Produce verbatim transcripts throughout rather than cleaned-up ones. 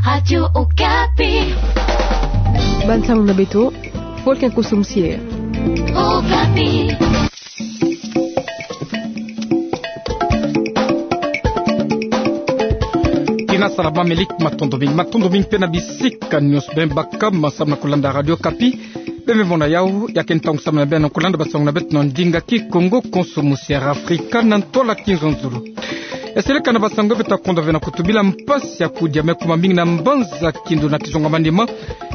Radio Okapi. Bansango na beto, Volcan Koso Musier. Okapi. Kina salama, melik, matondo mingi, matondo mingi mpe na bisika nyonso beno baka ma samu na kulanda Radio Okapi. Beno me mona yawu, ya ke ntangu samu na beno kulanda basango na beto na ndinga Kikongo, Koso Musier Afrika na ntwala Kinzonzolo. Ya seleka na basango beto ta konda ve na kutubila mpasi ya kudia me kuma mingi na mbanza Kindu na kizunga manima,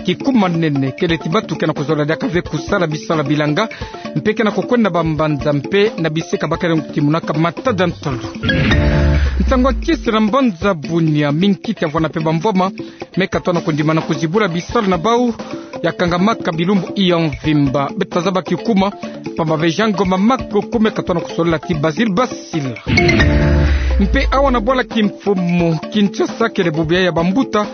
kikumanene, kele ti batu ke na kuzola diaka ve kusala bisalu ya bilanga, mpe ke na kukwenda bambanza mpe na bisika ba ke na kutimunaka matadi ya ntalu. Nsangu ya kisi na mbanza Bunia, mingi kiti ya vwanda mpe bamvwama me katoa na kondima na kuzibula bisalu na bau ya kangamaka bilumbu ya mvimba. Beto ta zaba kikuma, pamba ve Jean Ngoma Makoko me katoa na kusolila ti Basile Basila. Mpe awa na bwala kimfumu Kinshasa, kele bubu yai ya bambuta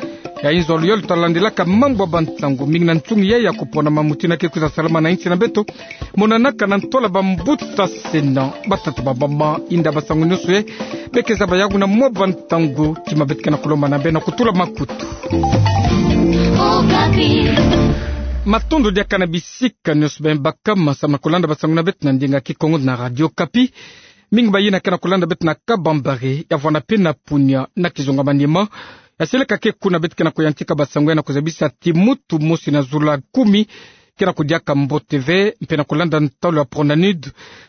ya inzo luyolo ta landilaka mambu ya bansangu mingi na nsungi yai ya kupona mamuti na ke kwiza salama na insi na beto. Monanaka na ntwala bambuta sena, batata, bamama, inda basangu nyonso yai, beke zaba yawu na mwa bansangu, tima beto ke na kulomba na beno kutula makutu. Okapi. Matondo diaka na bisika nyonso beno baka ma samu na kulanda basango na beto na ndinga Kikongo na Radio Okapi. Mingi bayina ke na kulanda beto na Kabambare, ya vwanda mpe na Bunia na kizunga manima. Ya seleka ke kuna beto ke na kuyantika basango yai na kuzabisa ti muntu mosi na zula kumi ke na kudiaka mbote ve, mpe na kulanda ntalu ya Pronanud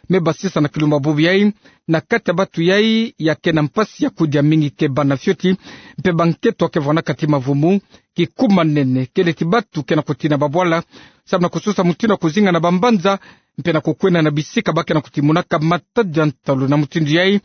me basisa na kilumbu ya bubu yai, na kati ya batu yai ya ke na mpasi ya kudia mingi ke bana fioti, mpe bankento ke vwandaka ti mavumu, kikumanene, kele ti batu ke na kutina babwala samu na kusosa mutindu ya kuzinga na bambanza, mpe na kukwenda na bisika ba ke na kutimunaka matadi ya ntalu. Na mutindu yai,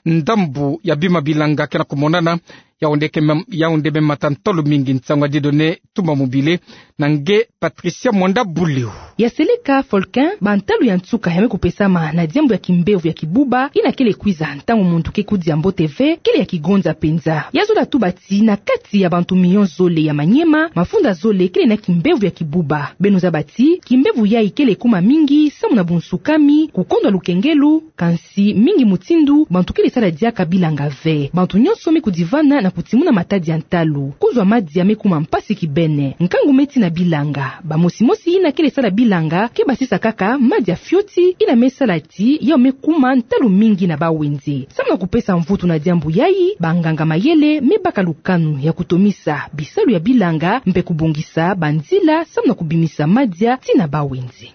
ndambu ya bima bilanga ke na kumonana, Yaoundé ke mem-, Yaoundé me mata ntalu mingi. Nsangu ya Dieudonné Tumba Mobile na nge Patricia Mwanda Buleo. Ya seleka Volcan, bantalu ya nsuka ya me kupesama na diambu ya kimbevo ya kibuba yina kele kwiza ntangu muntu ke kudia mbote ve, kele ya kigonza mpenza. Ya zola tuba ti na kati ya bantu milion zole ya Maniema, mafunda zole kele na kimbevo ya kibuba. Beno zaba ti kimbevo yai kele kuma mingi samu na bunsukami, kukondwa lukengelo, kansi mingi mutindu bantu kele sala diaka bilanga ve. Bantu nyonso me kudivana na kutimuna matadi ya ntalu. Kuzwa madia me kuma mpasi kibeni. Nkangu me tina bilanga. Bamosimosi yina kele sala bilanga ke basisa kaka madia fioti, yina me sala ti yau me kuma ntalu mingi na bawenze. Samu na kupesa mvutu na diambu yai, banganga mayele me baka lukanu ya kutomisa bisalu ya bilanga mpe kubongisa banzila samu na kubimisa madia tii na bawenze.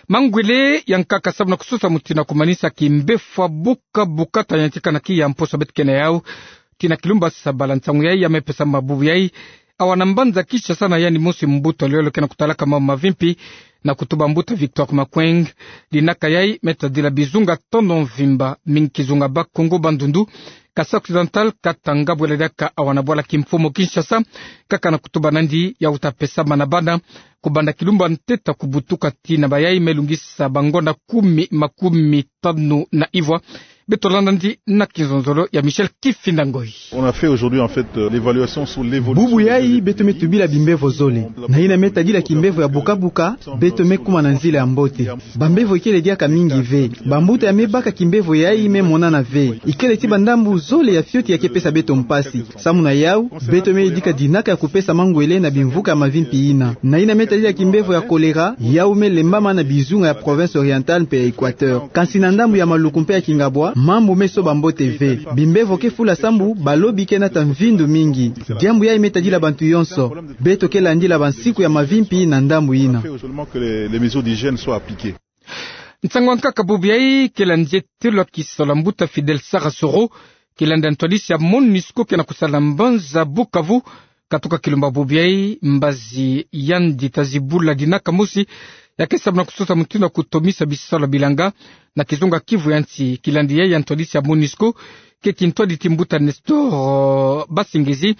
Mangwele ya nkaka samu na kusosa mutindu ya kumanisa kimbevo ya buka buka ta yantika na kiya mposo beto ke na yau tii na kilumbu ya sabala. Nsangu yai ya me pesama bubu yai awa na mbanza Kinshasa na yandi mosi mbuta luyolo ke na kutalaka mambu mavimpi, na kutuba mbuta Victor Makweng. Dinaka yai me tadila bizunga tono mvimba, mingi kizunga Bas-Congo, Bandundu, Kasaï Occidental, Katanga, bwela diaka awa na bwala kimfumu Kinshasa, kaka na kutuba nandi yau ta pesama na bana kubanda kilumbu ya ntete kubutuka tii na bayai me lungisa bangonda kumi, makumi tanu na ivwa. Beto landa nandi na kinzonzolo ya Michel Kifinda Ngoyi. On a fait aujourd'hui, en fait, euh, l'évaluation sur l'évolution. Bubu yai beto me tubila bimbevo zole. Na yina me tadila kimbevo ya buka buka, beto me kuma na nzila ya mbote. Bambevo ikele diaka mingi ve. Bambuta ya me baka kimbevo yai me monana ve. Ikele ti bandambu zole ya fioti ya ke pesa beto mpasi. Samu na yau, beto me yidika dinaka ya kupesa mangwele na bimvuka ya mavimpi yina. Na yina me tadila kimbevo ya kolera, yau me lembama na bizunga ya province orientale mpe ya Equateur. Kansi na ndambu ya Maluku mpe ya Kingabwa, mambu me soba mbote ve. Bimbevo ke fula sambu balobi ke nata mvindu mingi. Diambu yai me tadila bantu yonso. Beto ke landila bansiku ya mavimpi na ndambu yina. Seulement que les, les mesures d'hygiène soient appliquées. Nsangu ya nkaka bubu yai ke landa nzietelo ya kisalu ya mbuta Fidèle Sarasoro, ke landa ntwadisi ya MONUSCO ke na kusala na mbanza Bukavu. Katuka kilumbu ya bubu yai, mbazi yandi ta zibula dinaka mosi ya ke samu na kusosa mutindu ya kutomisa bisalu ya bilanga na kizunga Kivu ya nsi. Kilandi yai ya ntwadisi ya MONUSCO ke kintwadi ti mbuta Nestor Basengezi,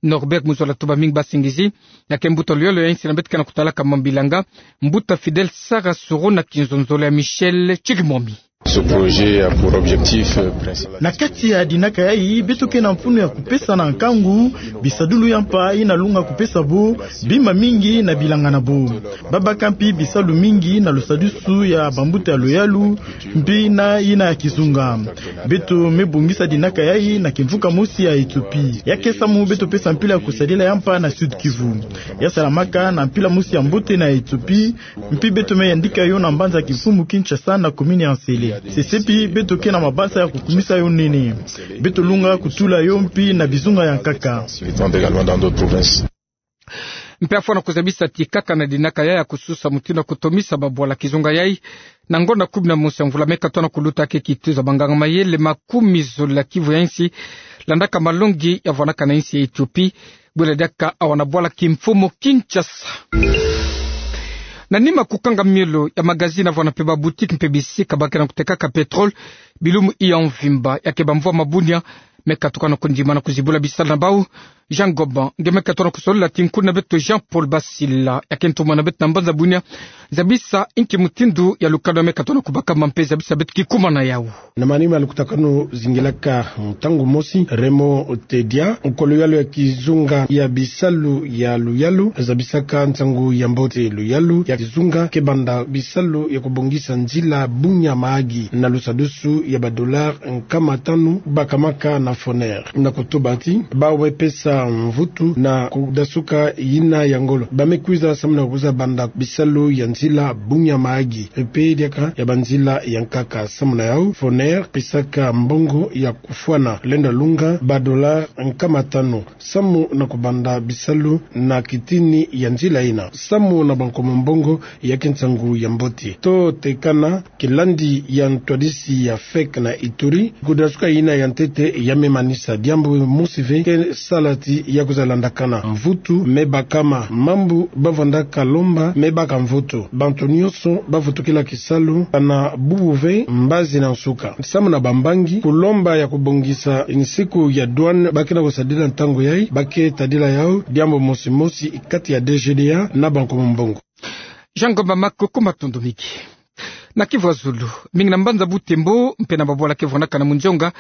Norbert Muzola Tubamingi Basengezi, ya ke mbuta luyolo ya insi na beto ke na kutalaka mambu ya bilanga, mbuta Fidèle Sarasoro na kinzonzolo ya Michel Chikimwami. Ce projet a pour objectif, euh, principal. Na kati ya dinaka yayi, beto ke na mfunu ya kupesa na nkangu bisadulu ya mpa ina lunga kupesa bo bima mingi na bilanga na bo. Babaka mpi bisalu mingi na lusadusu ya bambuta ya luyalu, mpi na ina ya kizunga. Beto me bongisa dinaka yayi na kimvuka mosi ya Ethiopie. Ya ke samu beto pesa mpila ya kusadila ya mpa na Sud-Kivu. Ya salamaka na mpila mosi ya mbote na Ethiopie, mpi beto me yandika yo na mbanza kimfumu Kinshasa na commune ya N'Sele. Sesepi beto ke na mabasa ya kukumisa yo nene. Beto lunga kutula yo mpi na bizunga ya nkaka. Mpe afwana kuzabisa ti kaka na dinaka yayi ya kususa mutindu ya kutomisa babwala kizunga yayi, na ngonda kumi na mosi ya mvula me katono kuluta, ke kituza banganga-mayele makumi zole ya Kivu ya nsi landaka malongi ya vwanaka na nsi ya Ethiopie, bwela diaka awa na bwala kimfumu Kinshasa. Na nima kukanga miolo ya magazini, vwana mpe baboutique mpe bisika ba ke na kutekaka pétrole, bilumbu ya mvimba ya ke bamvwama bunia me katuka na kondimana kuzibula bisalu na bau. Jean Goban nge me katono kusolila ti nkuni na beto Jean-Paul Basila, ya ke ntumwa na beto na mbanza bunia, zabisa inki mutindu ya lukanu me katono kubakama mpe zabisa beto kikuma na yau. Na manima ya lukutakanu zingilaka ntangu mosi, Raymond Tedia, nkolo-yalu ya kizunga ya bisalu ya luyalu, zabisaka nsangu ya mbote: luyalu ya kizunga ke banda bisalu ya kubongisa nzila Bunia-Mahagi na lusadusu ya ba dollars nkama tanu bakamaka na Foner. Na kutuba ti bau me pesa mvutu na kudasuka yina ya ngolo, ba me kwiza samu na kwiza banda bisalu ya nzila Bunia-Mahagi mpe diaka ya banzila ya nkaka. Samu na yau, Foner pesaka mbongo ya kufwana lenda lunga ba dollars nkama tanu samu na kubanda bisalu na kitini ya nzila yina. Samu na ba nkomo mbongo, ya ke nsangu ya mbote. To tekana, kilandi ya ntwadisi ya FEC na Ituri, kudasuka yina ya ntete ya me manisa. Diambu mosi ve ke sala ti ya kwiza landakana. Mvutu me bakama, mambu ba vandaka lomba me baka mvutu. Bantu nyonso ba vutukila kisalu, kana bubu ve mbazi na nsuka. Samu na bambangi, kulomba ya kubongisa nsiku ya douane ba ke na kusadila ntangu yayi, ba ke tadila yau diambu mosi mosi kati ya D G D A na ba nkomo mbongo. Jean Goban, makuku matundu mingi. Na Kivu ya zulu, mingi na mbanza Butembo mpe na babwala ke vwanaka na Mundionga,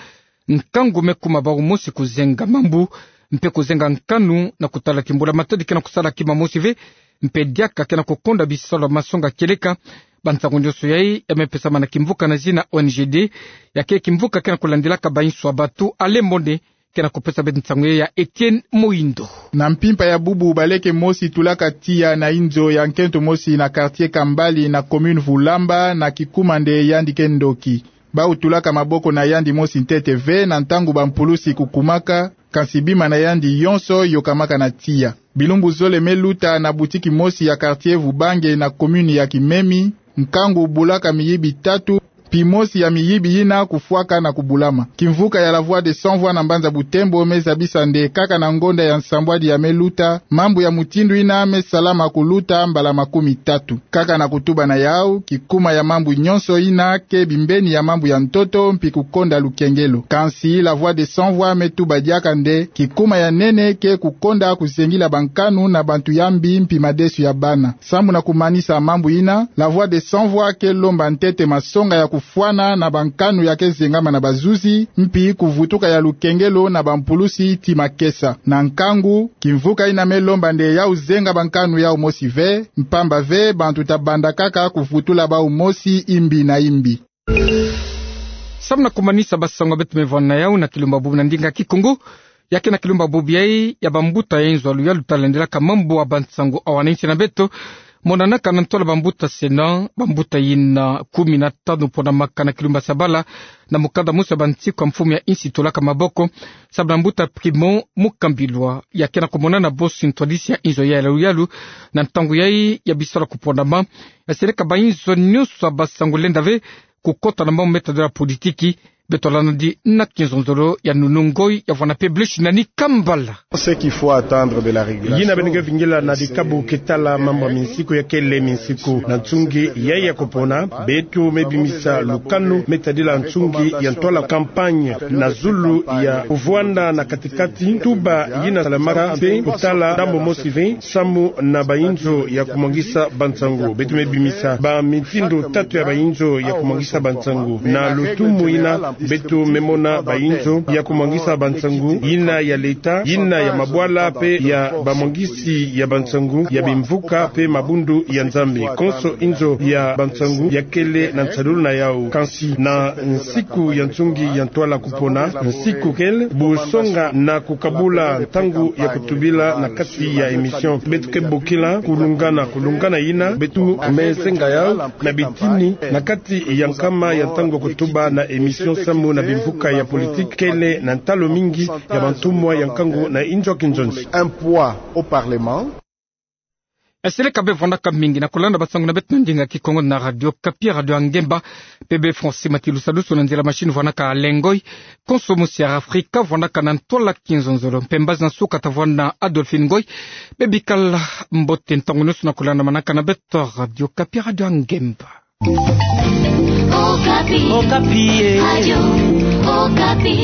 nkangu me kuma bau mosi kuzenga mambu mpe kuzenga nkanu na kutala ti mbula-matadi ke na kusala kima mosi ve, mpe diaka ke na kukonda bisalu ya masonga kieleka. Bansangu nyonso yayi ya me pesama na kimvuka na zina O N G D, ya ke kimvuka ke na kulandilaka bainso ya batu. Alain Mone ke na kupesa beto nsangu yayi ya Etienne Moindo. Na mpimpa ya bubu, baleke mosi tulaka tiya na inzo ya nkento mosi na quartier Kambali na commune Vulamba, na kikuma nde yandi ke ndoki. Bau tulaka maboko na yandi mosi ntete ve na ntangu bampulusi kukumaka, kansi bima na yandi yonso yokamaka na tiya. Bilumbu zole me luta, na boutique mosi ya quartier Vubange na commune ya Kimemi, nkangu bulaka miyibi tatu, mpi mosi ya miyibi yina kufwaka na kubulama. Kimvuka ya La Voix des Sans Voix na mbanza Butembo me zabisa nde kaka na ngonda ya nsambwadi ya me luta, mambu ya mutindu yina me salama kuluta mbala makumi tatu. Kaka na kutuba na yau, kikuma ya mambu nyonso yina ke bimbeni ya mambu ya ntoto mpi kukonda lukengelo. Kansi La Voix des Sans Voix me tuba diaka nde kikuma ya nene ke kukonda kuzengila bankanu na bantu ya mbi mpi madesu ya bana. Samu na kumanisa mambu yina, La Voix des Sans Voix ke lomba ntete masonga ya kufwana na bankanu ya ke zengama na bazuzi, mpi kuvutuka ya lukengelo na bampulusi ti makesa. Na nkangu, kimvuka yina me lomba nde yau zenga bankanu yau mosi ve, mpamba ve bantu ta banda kaka kuvutula bau mosi imbi na imbi. Samu na kumanisa basango beto me vwanda na yau na kilumba bubu na ndinga Kikongo, ya ke na kilumba bubu yayi ya bambuta ya inzo ya luyalu ta landilaka mambu ya bansango awa na insi na beto, monanaka na ntola bambuta sena, bambuta yina kumi na tanu ponamaka na kilumba Sabala, na mukanda mosi ya bansiku ya mfumu ya insi tulaka maboko, samu na mbuta Primo Mukambilwa, ya ke na kumonana bosi ntwadisi ya inzo ya luyalu, na ntangu yayi ya bisalu ya kuponama, ya seleka bainzo nyonso ya basango lenda ve kukota na mambu me tadila politiki, Beto lana di na kinzonzolo ya nunu ngoi ya vwana pe blish na ni kambala. Ce qu'il faut attendre de la régulation. Yina beno nge vingila na dikabu ke tala mambu ya minsiku ya kele minsiku. Na nsungi yayi ya kupona, beto me bimisa lukanu me tadila nsungi ya ntwala campagne na zulu ya kuvwanda na katikati tuba yina salamaka mpe kutala ndambu mosi ve samu na bayinzo ya kumwangisa bansangu. Beto me bimisa ba mitindo tatu ya bayinzo ya kumwangisa bansangu. Na lutumu yina, beto me mona bayinzo ya kumwangisa bansangu, yina ya leta, yina ya mabwala mpe ya bamwangisi ya bansangu ya bimvuka mpe mabundu ya Nzambi. Konso inzo ya bansangu ya kele na nsalulu na yawu. Kansi na nsiku ya nsungi ya ntwala kupona, nsiku kele bu songa na kukabula ntangu ya kutubila na kati ya émission. Beto ke bokila kulungana, kulungana yina beto me senga yawu na bitini na kati ya nkama ya ntangu ya kutuba na émission samu na bimvuka ya politique kele na ntalo mingi ya bantumwa ya nkangu na inzo ya kinzonzi. Un poids au Parlement. Eseleka bê vwandaka mingi na kulanda bansangu na beto na ndinga Kikongo na Radio Okapi, Radio ya Ngemba. Mpe bê François Matilusa Luso na nzila machine vwandaka le ngoi. Konso mosi ya Afrika vwandaka na ntwala kinzonzolo. Mpe mbazi na nsuka tavwanda na Adolphine Ngoy. Mpe bikala mbote ntangu nyonso na kulanda manaka na beto Radio Okapi, Radio ya Ngemba. Okapi. Okapi, eh. Radio Okapi.